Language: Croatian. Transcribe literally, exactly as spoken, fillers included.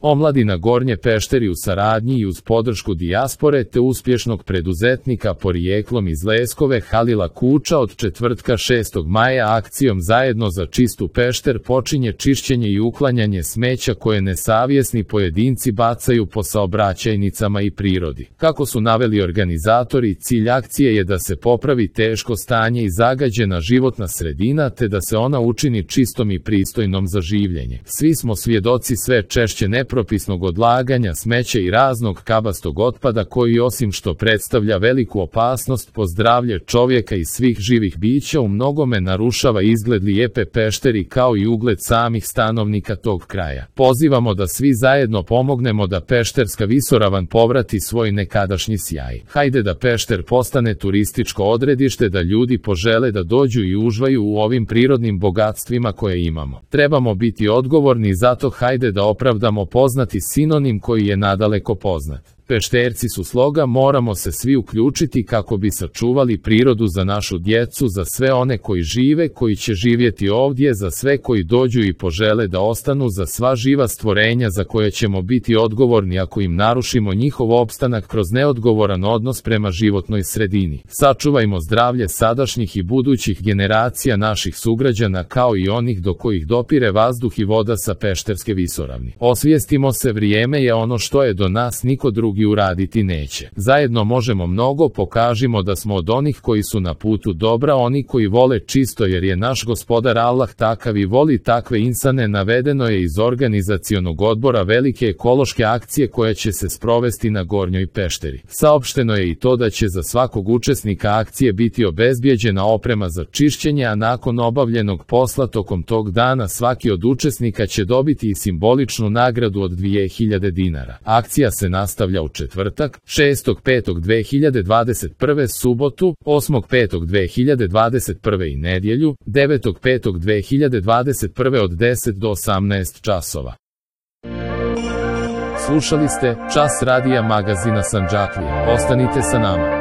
Omladina Gornje Pešteri u saradnji i uz podršku dijaspore te uspješnog preduzetnika porijeklom iz Leskove Halila Kuča od četvrtka šestog maja akcijom Zajedno za čistu Pešter počinje čišćenje i uklanjanje smeća koje nesavjesni pojedinci bacaju po saobraćajnicama i prirodi. Kako su naveli organizatori, cilj akcije je da se popravi teško stanje i zagađena životna sredina te da se ona učini čistom i pristojnom za življenje. Svi smo svjedoci sve češće nepropisnog odlaganja smeća i raznog kabastog otpada koji osim što predstavlja veliku opasnost po zdravlje čovjeka i svih živih bića u mnogome narušava izgled lijepe Pešteri kao i ugled samih stanovnika tog kraja. Pozivamo da svi zajedno pomognemo da Pešterska visoravan povrati svoj nekadašnji sjaj. Hajde da Pešter postane turističko odredište, da ljudi požele da dođu i uživaju u ovim prirodnim bogatstvima koje imamo. Trebamo biti odgovorni, zato hajde da opravdamo poznati sinonim koji je nadaleko poznat. Pešterci su sloga, moramo se svi uključiti kako bi sačuvali prirodu za našu djecu, za sve one koji žive, koji će živjeti ovdje, za sve koji dođu i požele da ostanu, za sva živa stvorenja za koje ćemo biti odgovorni ako im narušimo njihov opstanak kroz neodgovoran odnos prema životnoj sredini. Sačuvajmo zdravlje sadašnjih i budućih generacija naših sugrađana kao i onih do kojih dopire vazduh i voda sa Pešterske visoravni. Osvijestimo se, vrijeme je ono što je do nas niko drugi i uraditi neće. Zajedno možemo mnogo, pokažimo da smo od onih koji su na putu dobra, oni koji vole čisto jer je naš gospodar Allah takav i voli takve insane. Navedeno je iz organizacionog odbora velike ekološke akcije koja će se sprovesti na Gornjoj Pešteri. Saopšteno je i to da će za svakog učesnika akcije biti obezbijeđena oprema za čišćenje, a nakon obavljenog posla tokom tog dana svaki od učesnika će dobiti i simboličnu nagradu od dvije hiljade dinara. Akcija se nastavlja u četvrtak, šestog petog dve hiljade dvadeset prve, subotu, osmog petog dve hiljade dvadeset prve i nedjelju, devetog petog dve hiljade dvadeset prve od deset do osamnaest časova. Slušali ste Čas radija magazina Sandžaklija. Ostanite sa nama.